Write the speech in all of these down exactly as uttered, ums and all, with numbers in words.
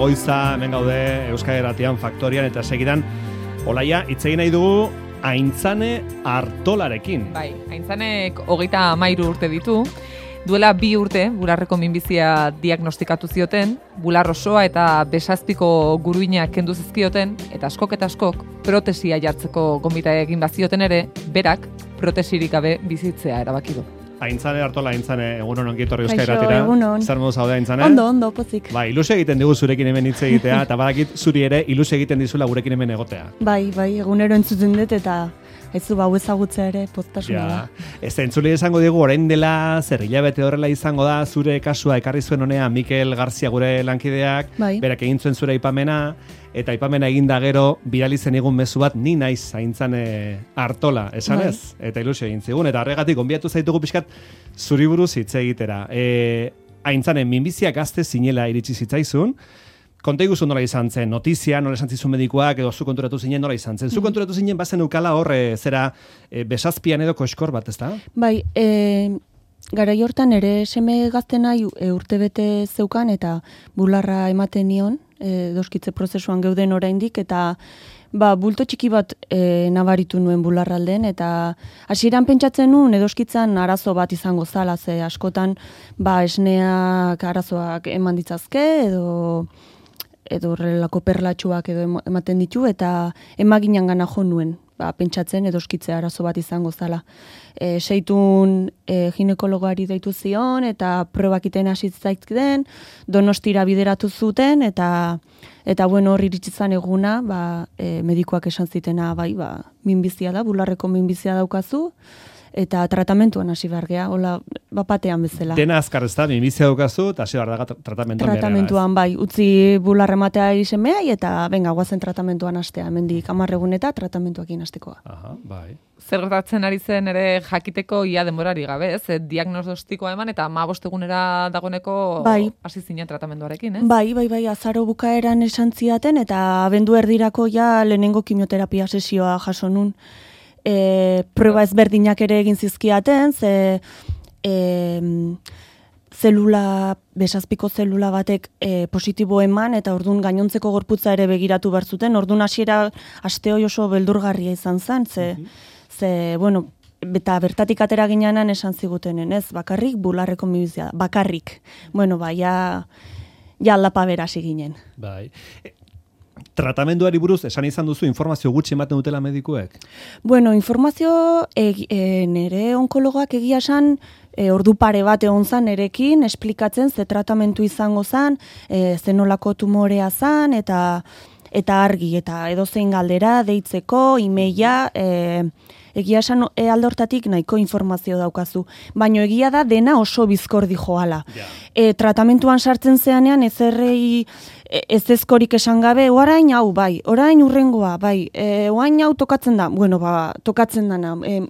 goiza, hemen gaude Euskal Irratian Faktorian eta segidan Olaia, hitz egin nahi dugu Aintzane Artolarekin. Bai, Aintzanek hogeita hamairu urte ditu. Duela bi urte, bularreko minbizia diagnostikatu zioten, bular osoa eta besazpiko guruinak kendu zizkioten, eta askok eta askok protesia jartzeko gonbita egin bazioten ere, berak protesirik gabe bizitzea erabaki du. Aintzane Artola, Aintzane, egunon ongi etorri Euskal Kaixo, Irratira. egunon. Zer modu zaude, Aintzane? Ondo, ondo, pozik. Bai, ilusio egiten digu zurekin hemen hitz egitea, eta badakit zuri ere ilusio egiten dizula gurekin hemen egotea. Bai, bai, egunero entzuten dut eta ez du bau ezagutzea ere poztasuna da. Ez entzule esango digu, orain dela zer hilabete horrela izango da zure kasua ekarri zuen honea Mikel Garzia gure lankideak, Bai. berak egin zuen zure aipamena, eta aipamena egin da gero, bidali zen egun mezu bat, ni naiz Aintzane Artola, esan Bai. ez? Eta ilusio egin zigun, eta horregatik gonbidatu zaitugu pixkat zuri buruz hitz egitera. E, Aintzane, minbizia gazte zinela iritsi zitzaizun, konta iguzu nola izan zen, notizia, nola esan zizun medikuak, edo zu konturatu zinen nola izan zen. Zu konturatu zinen bazen ukala horre, zera, e, besazpian edo koskor bat, ezta? Bai, e, garai hortan ere seme gaztena e, urtebete zeukan eta bularra ematen nion, e, doskitze prozesuan geuden oraindik eta ba, bulto txiki bat e, nabaritu nuen bularralden eta hasieran pentsatzen nuen edoskitzan arazo bat izango zala, ze askotan ba, esneak arazoak eman ditzazke edo edo horrelako perlatxuak edo ematen ditu, eta emaginan gana jo nuen, ba, pentsatzen edoskitze arazo bat izango zala. E, seitun e, ginekologoari deitu zion, eta probakiten hasi zaitzkiden, Donostira bideratu zuten, eta eta bueno, hor iritsi zan eguna, ba, e, medikuak esan zitena, bai, ba, minbizia da, bularreko minbizia daukazu, eta tratamentuan hasi behar gea, hola, bapatean bezala. Dena azkar ez da, minbizia daukazu, eta hasi behar daga tratamentuan. Tratamentuan, bai, utzi bularra ematea izenbeai, eta benga, guazen tratamentuan hastea, hemendik hamar egun eta tratamentuakin hastekoa. Aha, bai. Zer gertatzen ari zen ere jakiteko ia denborari gabe, ez? E, diagnostikoa eman eta hamabost egunera dagoeneko Bai. hasi zinen tratamenduarekin, ez? Bai, bai, bai, azaro bukaeran esan ziaten, eta abendu erdirako ja lehenengo kimioterapia sesioa jaso nun. E, proba ezberdinak ere egin zizkiaten, ze e, zelula, besazpiko zelula batek e, positibo eman, eta ordun gainontzeko gorputza ere begiratu behar zuten, ordun hasiera aste hoi oso beldurgarria izan zen, ze, ze bueno, eta bertatik atera ginenan esan zigutenen, ez, bakarrik bularreko minbizia, bakarrik. Bueno, ba, ja, ja aldapa berasi ginen. Bai. Tratamenduari buruz, esan izan duzu, informazio gutxi ematen dutela medikuek? Bueno, informazio e, e, nere onkologoak egia esan e, ordu pare bat egon zan erekin, esplikatzen ze tratamentu izango zan, e, zenolako tumorea zan, eta eta argi, eta edozein galdera, deitzeko, imeia, e, egia esan e, alde hortatik nahiko informazio daukazu. Baina egia da dena oso bizkordi joala. Ja. E, tratamentuan sartzen zeanean ezerrei ez ezkorik esan gabe, orain hau bai, orain urrengoa bai, e, orain hau tokatzen da, bueno, ba, tokatzen dana, e,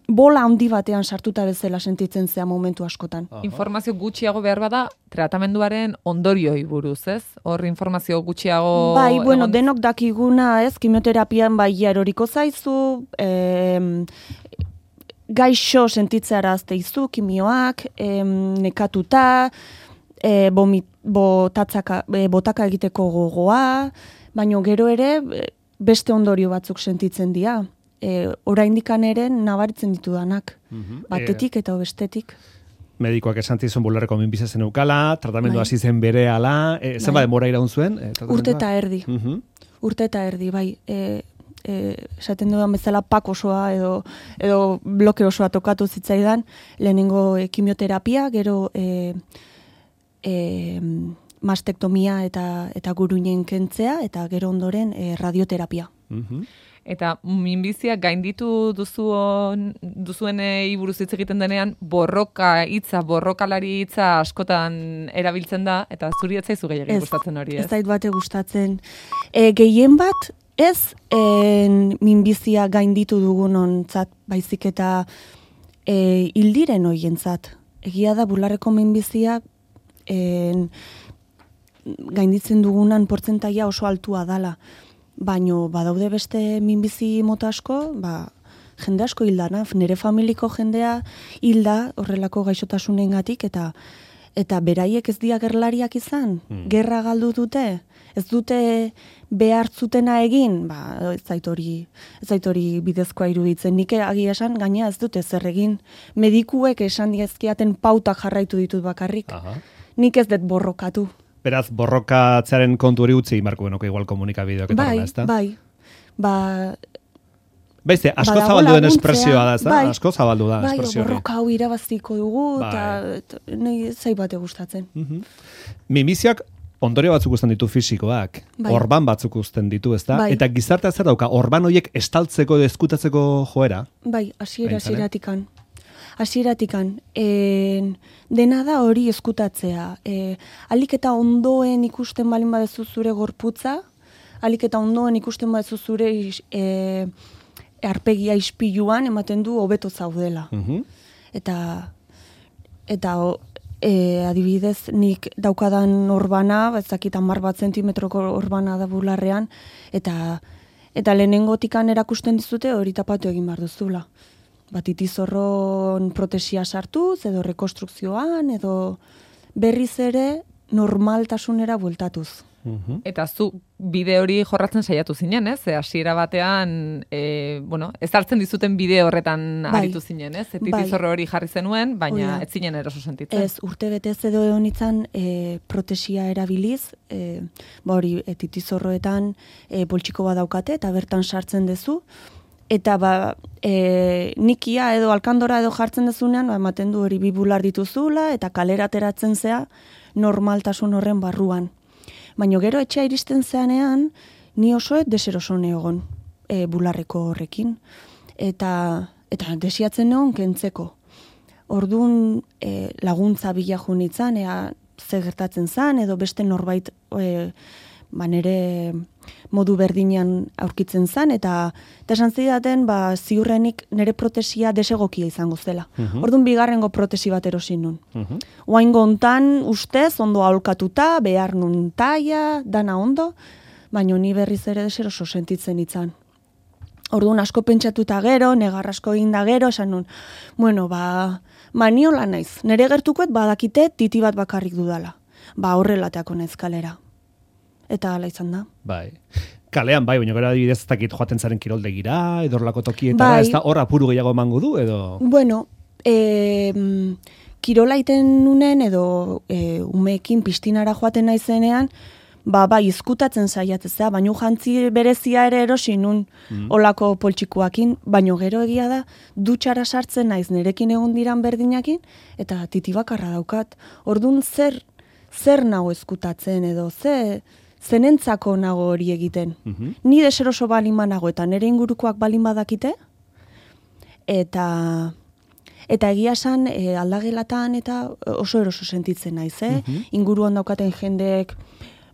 bola handi batean sartuta bezala sentitzen zea momentu askotan. Aha. Informazio gutxiago behar bada tratamenduaren ondorioi buruz, ez? Hor informazio gutxiago... Bai, bueno, egon- denok dakiguna, ez, kimioterapian bai eroriko zaizu, e, gaixo sentitzearazte izu, kimioak, e, nekatuta, e, bomit, botatzaka, e, botaka egiteko gogoa, baino gero ere e, beste ondorio batzuk sentitzen dira. E, oraindikan ere nabaritzen ditudanak, Mhm. batetik eta bestetik. Medikoak esan zizun bularreko minbizia zen eukala, tratamendu Bai. hasi zen bere ala, e, zenba Bai. denbora iraun zuen? E, Urte eta erdi, Mhm. urte eta erdi, bai. E, e, esaten dudan bezala pak osoa edo, edo bloke osoa tokatu zitzaidan, lehenengo e, kimioterapia, gero e, e, mastektomia eta, eta guruinen kentzea, eta gero ondoren e, radioterapia. Mhm. Eta minbizia gainditu duzuen, duzuenei buruz hitz egiten denean, borroka hitza, borrokalari hitza askotan erabiltzen da, eta zuri ez zaizu gehiagin Ez, gustatzen hori, ez? Ez zait bate gustatzen. E, gehien bat, ez en, minbizia gainditu dugunontzat, baizik eta e, hildiren hoientzat. Egia da bularreko minbizia en, gainditzen dugunan portzentaia oso altua dala. Baino badaude beste minbizi mota asko, ba, jende asko hildana, nire familiko jendea hilda horrelako gaixotasunengatik, eta eta beraiek ez dira gerlariak izan, Hmm. gerra galdu dute, ez dute behar zutena egin, ba, ez zait hori, ez zait hori bidezkoa iruditzen. Nik agia esan, gaina ez dute zer egin. Medikuek esan diezkiaten pautak jarraitu ditut bakarrik. Aha. Nik ez dut borrokatu. Beraz, borrokatzearen kontu hori utzi marko genuke igual komunikabideoak eta Bai, horrela, ezta? bai, ba... Baizte, asko badago zabaldu den laguntzea, espresioa da, ezta? bai. Asko zabaldu da Bai, espresio hori. borroka hau irabaztiko dugu, Bai. eta eta nahi zai bate gustatzen. Mhm. Minbiziak ondorio batzuk uzten ditu fisikoak, Bai. orban batzuk uzten ditu, ezta? Bai. Eta gizartea zer dauka, orban horiek estaltzeko edo ezkutatzeko joera? Bai, hasiera Aintzane? hasieratikan. Hasieratikan. En, dena da hori eskutatzea. E, alik eta ondoen ikusten balin badezu zure gorputza, alik eta ondoen ikusten badezu zure is- e, arpegia ispiluan ematen du hobeto zaudela. Mhm. Eta eta o, e, adibidez nik daukadan orbana, ez dakit hamar bat zentimetroko orbana da bularrean, eta eta lehenengotikan erakusten dizute hori tapatu egin behar duzula. Batitizorron protesia sartuz, edo rekonstrukzioan, edo berriz ere normaltasunera bueltatuz. Mhm. Eta zu bide hori jorratzen saiatu zinen, ez? Ze hasiera batean, e, bueno, ez hartzen dizuten bide horretan Bai. aritu zinen, ez? Bai. Etitizorro hori jarri zenuen, Hori baina da. ez zinen eroso sentitzen. Ez, urte betez edo egon itzan e, protesia erabiliz, e, ba hori, e, titizorroetan e, poltsiko bat daukate, eta bertan sartzen dezu, eta ba, e, nikia edo alkandora edo jartzen dezunean, ba, ematen du hori bi bular dituzula, eta kalera ateratzen zea normaltasun horren barruan. Baina gero etxea iristen zeanean, ni oso deseroso egon e, bularreko horrekin. Eta, eta desiatzen egon kentzeko. Orduan e, laguntza bila junitzen, ea ze gertatzen zan, edo beste norbait e, ba, nere modu berdinean aurkitzen zan, eta, eta esan zidaten ba, ziurrenik nere protesia desegokia izango zela. Mhm. Orduan bigarrengo protesi bat erosin nun. Mhm. Oaingo hontan ustez ondo aholkatuta, behar nun taia, dana ondo, baina ni berriz ere deseroso sentitzen itzan. Orduan asko pentsatuta gero, negar asko egin da gero, esan nun, bueno, ba, ba niola naiz, nere gertukoet badakite titi bat bakarrik dudala. Ba horrelateako naiz kalera. Eta hala izan da. Bai. Kalean, bai, baina gero adibidez ez dakit joaten zaren kiroldegira, edo horrelako tokietara, Bai. ez da hor apuru gehiago emango du, edo... Bueno, e, kirola iten nunen edo e, umeekin pistinara joaten naizenean, ba, bai, izkutatzen saiatzea, baino jantzi berezia ere erosi nun olako poltsikoakin, baino gero egia da, dutxara sartzen naiz nerekin egon diran berdinakin, eta titi bakarra daukat. Ordun zer, zer nago ezkutatzen edo, ze, zenentzako nago hori egiten. Mhm. Ni deseroso balin banago eta nere ingurukoak balin badakite, eta eta egia esan e, aldagelatan eta oso eroso sentitzen naiz, eh? Mhm. Inguruan daukaten jendeek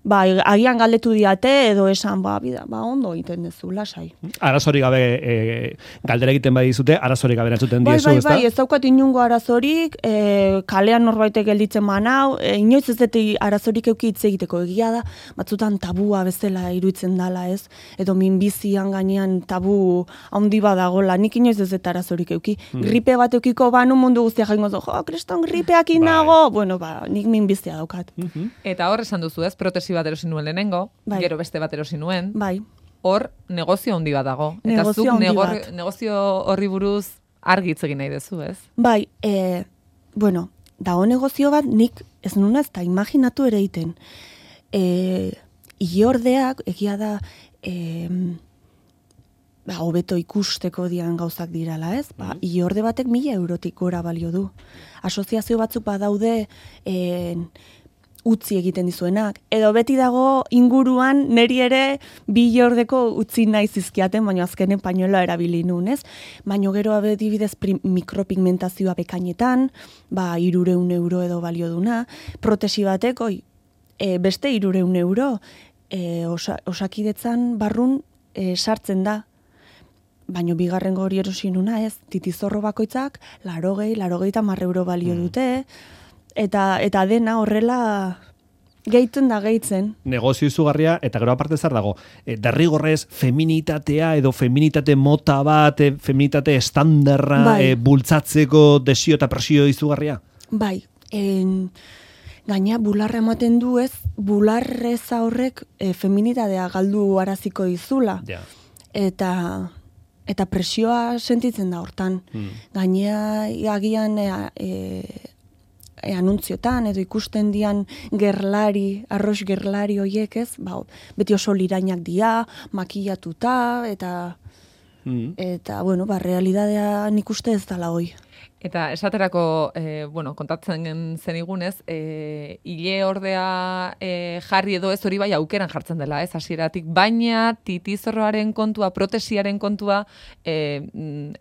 ba, agian galdetu diate edo esan, ba, bida, ba, ondo egiten dezu, lasai. Arazorik gabe e, galdera egiten bai dizute, arazorik gabe erantzuten Bai, diezu, bai, ezta? bai, ez daukat inungo arazorik, e, kalean norbaitek gelditzen manau, e, inoiz ez dut arazorik euki hitz egiteko egia da, batzutan tabua bezala iruditzen dala, ez? Edo minbizian gainean tabu handi badagola, nik inoiz ez dut arazorik euki. Gripe bat eukiko banu mundu guztia jaingo zo, jo, kriston gripeakin Bai. nago, bueno, ba, nik minbizia daukat. Mhm. Eta hor esan duzu, ez? Protesi bat erosi nuen lehenengo, Bai. gero beste bat erosi nuen. Bai, Hor negozio handi bat dago. Eta Negozio zuk handi negor, bat. negozio horri buruz argi hitz egin nahi duzu, ez? bai, e, bueno, dago negozio bat nik ez nuna ez da imaginatu ere egiten. E, iordeak, egia da, e, ba, hobeto ikusteko dian gauzak dirala, ez? Ba, iorde batek mila eurotik gora balio du. Asoziazio batzuk badaude e, utzi egiten dizuenak. Edo beti dago inguruan neri ere bi iordeko utzi nahi zizkiaten, baina azkenen pañueloa erabili nun, ez? Baina gero adibidez prim- mikropigmentazioa bekainetan, ba, irureun euro edo balio duna, protesi batek, oi, e, beste irureun euro, e, osa, osakidetzan barrun e, sartzen da. Baina bigarrengo hori erosi nuna, ez? Titizorro bakoitzak, larogei, larogei eta mar euro balio dute, eta, eta dena horrela gehituen da gehitzen. Negozio izugarria, eta gero aparte zer dago, e, derrigorrez feminitatea edo feminitate mota bat, e, feminitate estandarra Bai. e, bultzatzeko desio eta presio izugarria? Bai, en, Gaina bularra ematen du ez, bularreza horrek e, feminidadea galdu araziko dizula. Ja. Eta, eta presioa sentitzen da hortan. Mm. Gainea agian e, e, e, anuntziotan edo ikusten dian gerlari, arroz gerlari hoiek ez, ba, beti oso lirainak dia, makillatuta, eta, Mm. eta bueno, ba, realidadea nik uste ez dala hoi. Eta esaterako, e, bueno, kontatzen zenigunez, e, hile ordea e, jarri edo ez hori bai aukeran jartzen dela, ez hasieratik, baina titizorroaren kontua, protesiaren kontua e,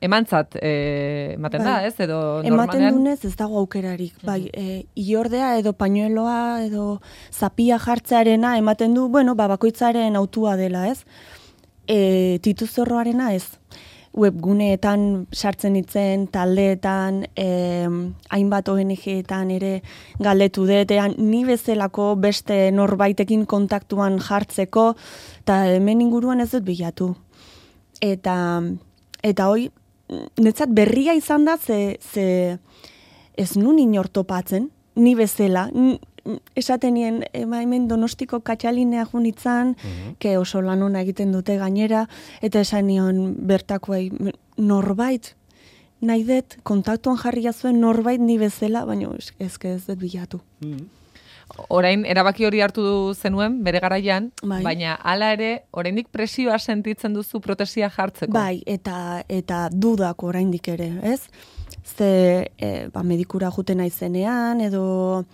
emantzat e, ematen da, bai. ez? Edo Ematen normalean dunez ez dago aukerarik. Bai, e, iordea edo pañueloa edo zapia jartzearena ematen du, bueno, ba, bakoitzaren autua dela, ez? E, tituzorroarena ez. Webguneetan sartzen ditzen, taldeetan, eh, hainbat O N G-etan ere galdetu detean, ni bezalako beste norbaitekin kontaktuan jartzeko, eta hemen inguruan ez dut bilatu. Eta, eta hoi, netzat berria izan da, ze, ze ez nun inor topatzen, ni bezala, esaten nien, ema hemen Donostiko katxalinea junitzan, uh-huh. ke oso lan ona egiten dute gainera, eta esan nion bertakoei, norbait, nahi dut, kontaktuan jarria zuen norbait ni bezala, baina ezke ez dut bilatu. Mm. Orain, erabaki hori hartu zenuen, bere garaian, bai. Baina hala ere, oraindik presioa sentitzen duzu protesia jartzeko. Bai, eta, eta dudak oraindik ere, ez? Ze, e, ba, medikura juten naizenean, edo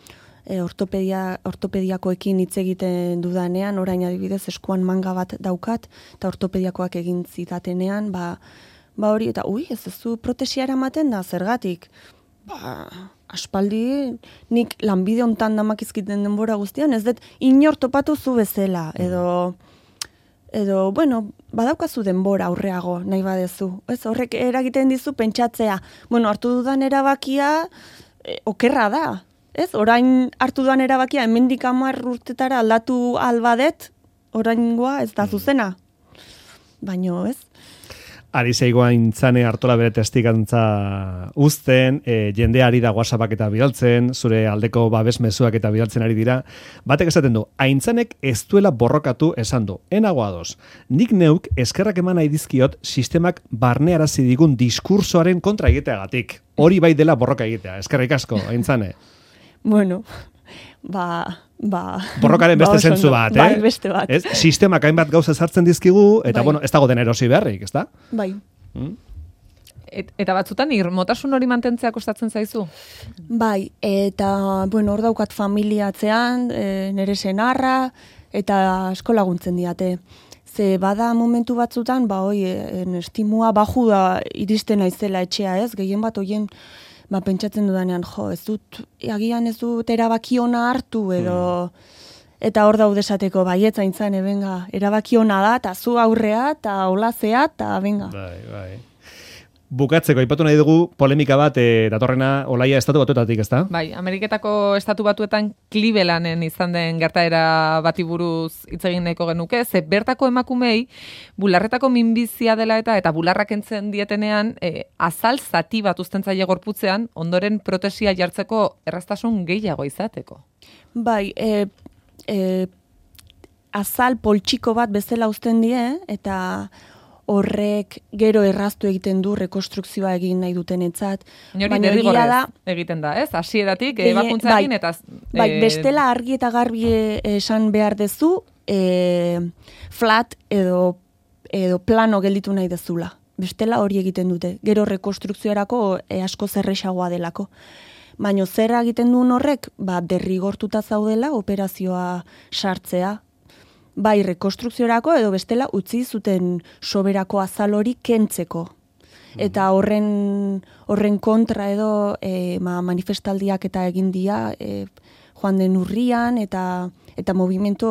E, ortopedia, ortopediakoekin hitz egiten dudanean, orain adibidez eskuan manga bat daukat, eta ortopediakoak egin zitatenean, ba, ba hori, eta ui, ez ez du protesia eramaten da, zergatik? Ba, aspaldi, nik lanbide hontan damakizkiten denbora guztian, ez dut inor topatu zu bezala, edo, edo, bueno, badaukazu denbora aurreago, nahi badezu. Ez, horrek eragiten dizu pentsatzea, bueno, hartu dudan erabakia, e, okerra da, ez? Orain hartu duan erabakia, hemendik hamar urtetara aldatu albadet, oraingoa ez da zuzena. Baino, ez? Ari zeigoa intzane hartola bere testikantza uzten, e, jendeari da WhatsAppak eta bidaltzen, zure aldeko babes mezuak eta bidaltzen ari dira. Batek esaten du, aintzanek ez duela borrokatu esan du. Enago ados, nik neuk eskerrak eman nahi dizkiot sistemak barnearazi digun diskursoaren kontra egiteagatik. Hori bai dela borroka egitea. Eskerrik asko, aintzane. Bueno, ba... ba borrokaren beste ba, zentzu bat, eh? Bai, beste bat. Ez? Sistemak hainbat gauza sartzen dizkigu, eta bai. bueno, ez dago den erosi beharrik, ez da? Bai. Mm? Et, eta batzutan irmotasun hori mantentzea kostatzen zaizu? Bai, eta, bueno, hor daukat familiatzean, e, nere senarra, eta asko laguntzen diate. Ze bada momentu batzutan, ba, hoi, en estimua baju da iristen naizela etxea, ez? Gehien bat hoien, ba, pentsatzen dudanean, jo, ez dut, agian ez dut erabaki ona hartu, edo, hmm. eta hor daude esateko, baietza intzane, benga, erabaki ona da, eta zu aurrea, eta olazea, eta benga. Bai, bai. Bukatzeko, aipatu nahi dugu polemika bat, e, datorrena Olaia estatu batuetatik, ezta? Bai, Ameriketako estatu batuetan Clevelanden izan den gertaera bati buruz hitz egin nahiko genuke, ze bertako emakumei bularretako minbizia dela eta eta bularrak entzen dietenean e, azal zati bat uzten zaie gorputzean, ondoren protesia jartzeko erraztasun gehiago izateko. Bai, e, e, azal poltsiko bat bezala uzten die, eta horrek gero erraztu egiten du rekonstrukzioa egin nahi dutenetzat. Baina egia da egiten da, ez? Hasieratik ebakuntza egin eta bai, bestela argi eta garbi esan behar dezu, e, flat edo edo plano gelditu nahi dezula. Bestela hori egiten dute. Gero rekonstrukzioarako e, asko zerrexagoa delako. Baina zer egiten duen horrek, ba, derrigortuta zaudela operazioa sartzea. Bai, rekonstrukziorako edo bestela utzi zuten soberako azal hori kentzeko. Eta horren, horren kontra edo e, ma, manifestaldiak eta egin dia e, joan den urrian eta eta movimento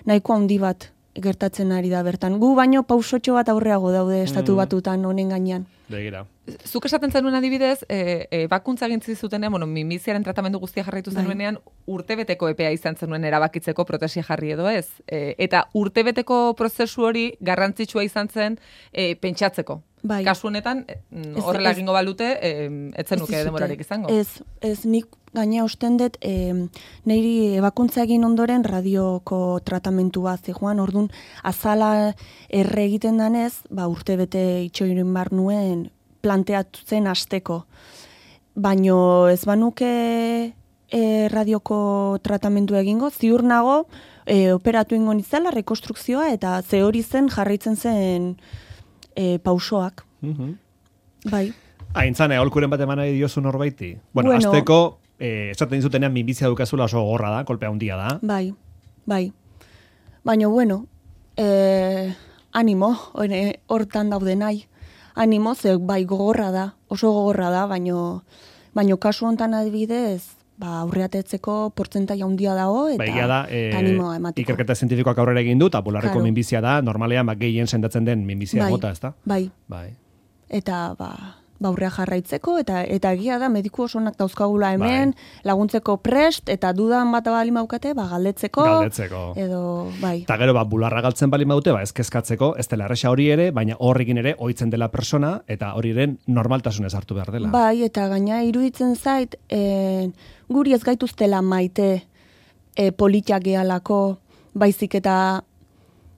nahiko handi bat gertatzen ari da bertan. Gu baino pausotxo bat aurreago daude estatu batutan honen gainean. Begira. Zuk esaten zenuen adibidez, e, e, bakuntza gintzi zutenean, bueno, minbiziaren tratamendu guztia jarraitu zenuenean, urtebeteko epea izan zenuen erabakitzeko protesia jarri edo ez. E, eta urtebeteko prozesu hori garrantzitsua izan zen e, pentsatzeko. Bai. Kasu honetan, horrela egingo balute, etzen nuke demorarik izango. Ez, ez nik gaina usten dut, e, niri ebakuntza egin ondoren radioko tratamentua zijoan, orduan azala erre egiten danez, ba, urte bete itxoirin bar nuen planteatu zen asteko. Baino ez banuke e, radioko tratamentu egingo, ziur nago, e, operatu ingo nizela, rekonstrukzioa, eta ze hori zen jarraitzen zen e, pausoak. Mhm. Bai. Aintzane, aholkuren bat eman nahi diozu norbaiti? Bueno, Bueno. azteko, eh, esaten dizutenean minbizia dukazula oso gorra da, kolpea handia da. Bai, bai. Baina, bueno, eh, animo, hore- hortan daude nahi. Animo, ze bai gogorra da, oso gogorra da, baino, baino kasu hontan adibidez, ba, aurreatetzeko portzentai handia dago, eta Ba, egia da, eh, animoa emateko. ikerketa zientifikoak aurrera egin du, eta bularreko Claro. minbizia da, normalean ba, gehien sendatzen den minbizia Bai, mota, ezta? Bai, Bai. eta ba, ba aurrea jarraitzeko, eta eta egia da mediku osonak dauzkagula hemen, laguntzeko prest, eta dudan bat bali maukate, ba, galdetzeko, Galdetzeko. edo, bai. Eta gero, ba, bularra galtzen bali maute, ba, ez kezkatzeko, ez dela erresa hori ere, baina horrekin ere ohitzen dela persona, eta hori ere normaltasunez hartu behar dela. Bai, eta gaina iruditzen zait, e, guri ez gaituztela maite e, politiak gehalako, baizik eta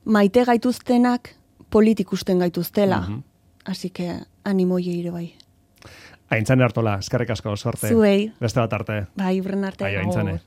maite gaituztenak politikusten gaituztela. Mhm. Así que animo ere bai. Aintzane Artola, eskerrik asko, sorte. Zuei. Beste bat arte. Bai, urren arte. Bai, Aintzane. Agur.